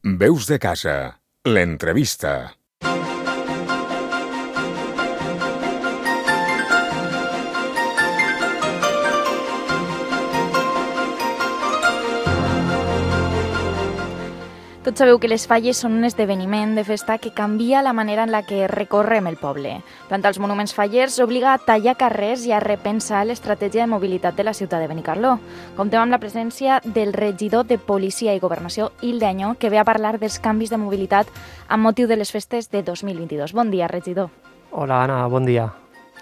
Veus de casa, l'entrevista. Tots sabeu que les falles són un esdeveniment de festa que canvia la manera en la que recorrem el poble. Plantar els monuments fallers obliga a tallar carrers i a repensar l'estratègia de mobilitat de la ciutat de Benicarló. Comptem amb la presència del regidor de Policia i Governació, Hilda Añó, que ve a parlar dels canvis de mobilitat amb motiu de les festes de 2022. Bon dia, regidor. Hola, Anna, bon dia.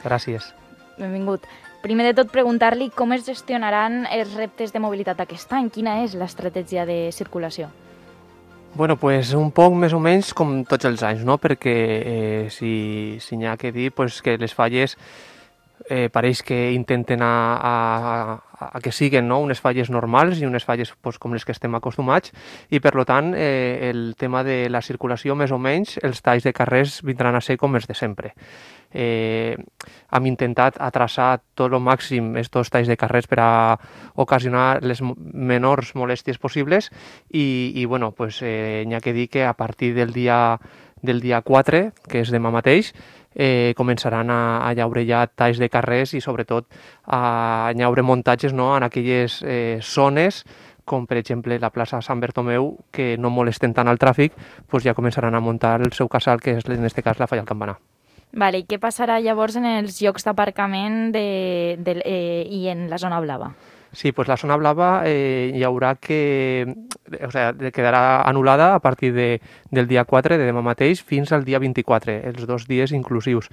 Gràcies. Benvingut. Primer de tot, preguntar-li com es gestionaran els reptes de mobilitat aquest any. Quina és l'estratègia de circulació? Bueno, pues un poc més o menys com tots els anys, no? Perquè si n'hi ha que dir pues, que les falles pareix que intenten a que siguen, no? Unes falles normals i unes falles pues, com les que estem acostumats i per tant el tema de la circulació més o menys els talls de carrers vindran a ser com els de sempre. Hem intentat traçar tot el màxim estos talls de carrers per a ocasionar les menors molèsties possibles i bueno, pues, n'hi ha que dir que a partir del dia 4, que és demà mateix, començaran a llaure ja talls de carrers i sobretot a llaure muntatges, no?, en aquelles zones com per exemple la plaça Sant Bertomeu, que no molesten tant el tràfic, pues ja començaran a muntar el seu casal, que és en aquest cas la Falla al Campanar. Vale, i què passarà llavors en els llocs d'aparcament i en la zona blava? Sí, pues la zona blava hi haurà quedarà anul·lada a partir del dia 4 de demà mateix fins al dia 24, els 2 dies inclusius.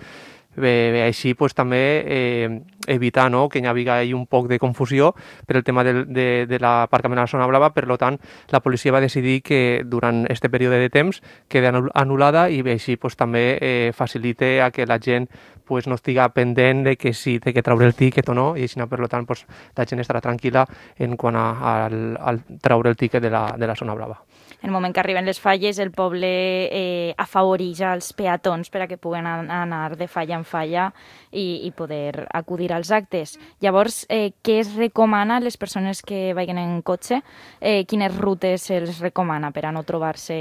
Bé, així pues, també evitar, no?, que hi hagi un poc de confusió per el tema de l'aparcament a la zona blava. Per tant, la policia va decidir que durant aquest període de temps quedi anul·lada i així pues, també facilite a que la gent pues, no estiga pendent de que si té que treure el tíquet o no, i així, per tant, pues, la gent estarà tranquil·la en quant al treure el tíquet de la zona blava. En el moment que arriben les falles, el poble afavoreix els peatons per a que puguen anar de falla en falla i poder acudir als actes. Llavors, què es recomana a les persones que vagin en cotxe? Quines rutes se'ls recomana per a no trobar-se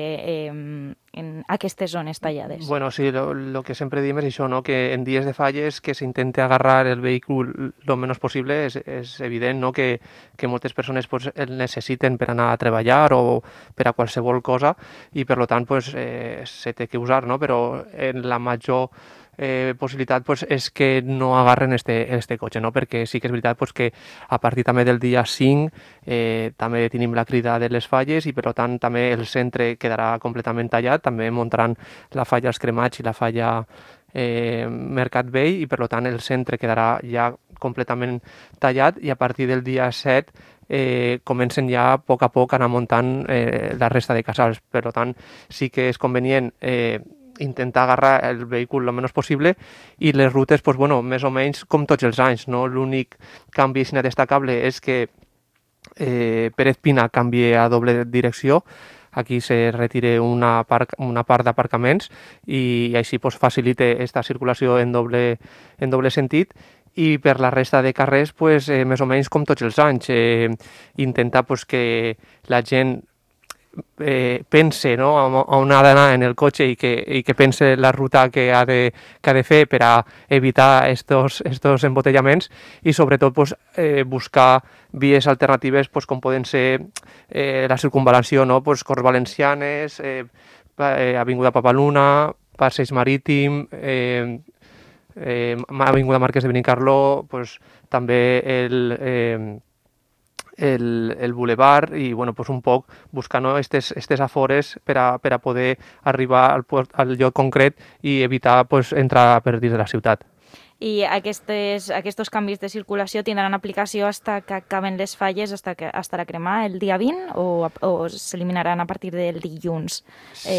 en aquestes zones tallades? Bueno, sí, lo que sempre diem és això, no?, que en dies de falles que s'intente agarrar el vehícul lo menys possible. És evident, no?, que moltes persones pues, el necessiten per anar a treballar o per a qualsevol cosa i per tant pues, se té que usar, no?, però en la major possibilitat pues, és que no agarren este cotxe, no? Perquè sí que és veritat pues, que a partir també del dia 5 també tenim la crida de les falles i per tant també el centre quedarà completament tallat, també muntaran la falla Els Cremats i la falla Mercat Vell i per tant el centre quedarà ja completament tallat i a partir del dia 7 comencen ja a poc anar muntant la resta de casals. Per tant, sí que és convenient intentar agarrar el vehícul el menys possible i les rutes, pues, bueno, més o menys com tots els anys, no? L'únic canvi destacable és que Pérez Pina canvia a doble direcció. Aquí se retira una part d'aparcaments i així pues, facilita aquesta circulació en doble sentit. I per la resta de carrers, pues, més o menys com tots els anys, intentar pues, que la gent pense, no?, on ha d'anar en el cotxe i que pense la ruta que ha de fer per a evitar estos embotellaments i sobretot pues, buscar vies alternatives pues, com poden ser la circunvalació, no?, pues, Corts Valencianes, Avinguda Papaluna, Passeig Marítim, Avinguda Marquès de Benicarló, pues, també el Boulevard i bueno, pues un poc buscar, no?, estes afores per a poder arribar al lloc concret i evitar pues, entrar per dins de la ciutat. I aquests canvis de circulació tindran aplicació fins que acaben les falles, fins a cremar el dia 20 o s'eliminaran a partir del dilluns,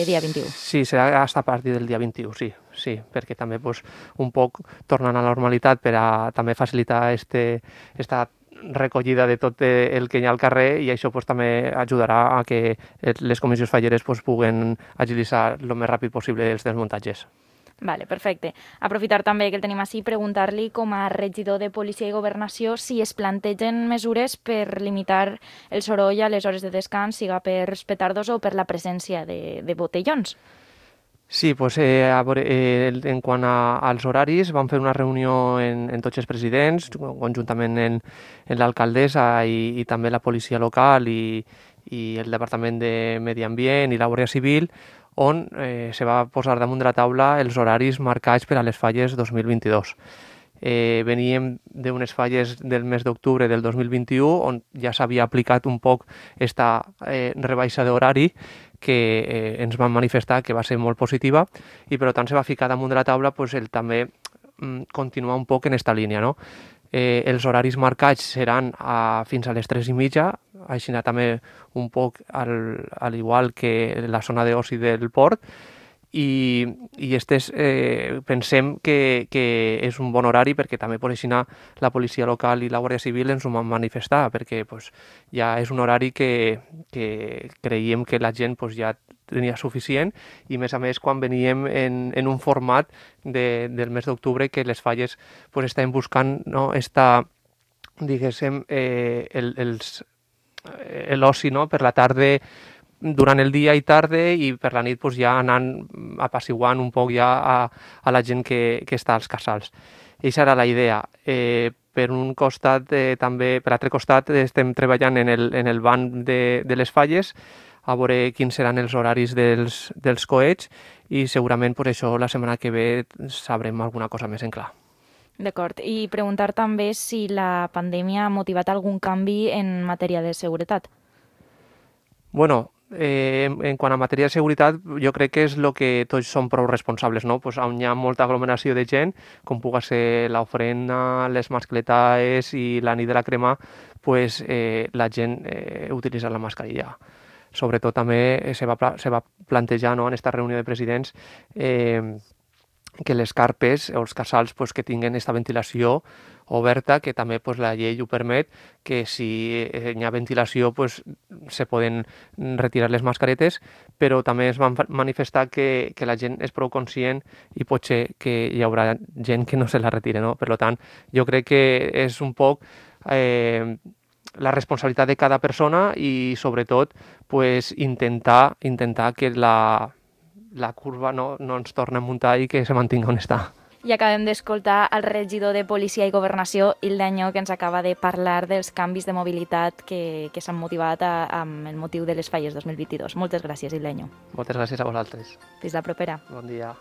dia 21? Sí, serà fins a partir del dia 21, sí, perquè també pues, un poc tornant a la normalitat per a també facilitar esta recollida de tot el que hi ha al carrer i això pues, també ajudarà a que les comissions falleres pues, puguen agilitzar el més ràpid possible els desmuntatges. Vale, perfecte. Aprofitar també que el tenim així, preguntar-li com a regidor de Policia i Governació si es plantegen mesures per limitar el soroll a les hores de descans, siga per petardos o per la presència de botellons. Sí, pues en quant als horaris, vam fer una reunió en tots els presidents, conjuntament en l'alcaldessa i també la policia local i el Departament de Medi Ambient i la Guàrdia Civil, on se va posar damunt de la taula els horaris marcats per a les falles 2022. Veníem d'unes falles del mes d'octubre del 2021 on ja s'havia aplicat un poc esta rebaixa d'horari que ens van manifestar que va ser molt positiva i per tant se va ficar damunt de la taula pues, el també continuar un poc en esta línia, no? Els horaris marcats seran fins a les 3:30, així també un poc al igual que la zona d'oci del port, i pensem que és un bon horari perquè també per així la policia local i la Guàrdia Civil ens ho van manifestar, perquè pues, ja és un horari que creiem que la gent pues, ja tenia suficient i a més quan veníem en un format del mes d'octubre que les falles pues, estaven buscant no, diguéssim l'oci no, per la tarda durant el dia i tarda i per la nit pues, ja anant apaciguant un poc ja a la gent que està als casals. Aquesta era la idea. Per un costat, també, per l'altre costat, estem treballant en el banc de les falles a veure quins seran els horaris dels coets i segurament per això la setmana que ve sabrem alguna cosa més en clar. D'acord. I preguntar també si la pandèmia ha motivat algun canvi en matèria de seguretat. Bueno, en quant a matèria de seguretat, jo crec que és el que tots som prou responsables, no? Pues on hi ha molta aglomeració de gent, com puga ser l'ofrena, les mascletaes i la nit de la crema, pues, la gent utilitza la mascarilla. Sobretot també se va plantejar no, en aquesta reunió de presidents que les carpes o els casals pues, que tinguen aquesta ventilació oberta, que també pues, la llei ho permet, que si hi ha ventilació pues, se poden retirar les mascaretes, però també es van manifestar que la gent és prou conscient i potser que hi haurà gent que no se la retire. No? Per tant, jo crec que és un poc la responsabilitat de cada persona i sobretot pues, intentar que la curva no ens torna a muntar i que se mantinga on està. I acabem d'escoltar el regidor de Policia i Governació, Ildeño, que ens acaba de parlar dels canvis de mobilitat que s'han motivat amb el motiu de les falles 2022. Moltes gràcies, Ildeño. Moltes gràcies a vosaltres. Fins la propera. Bon dia.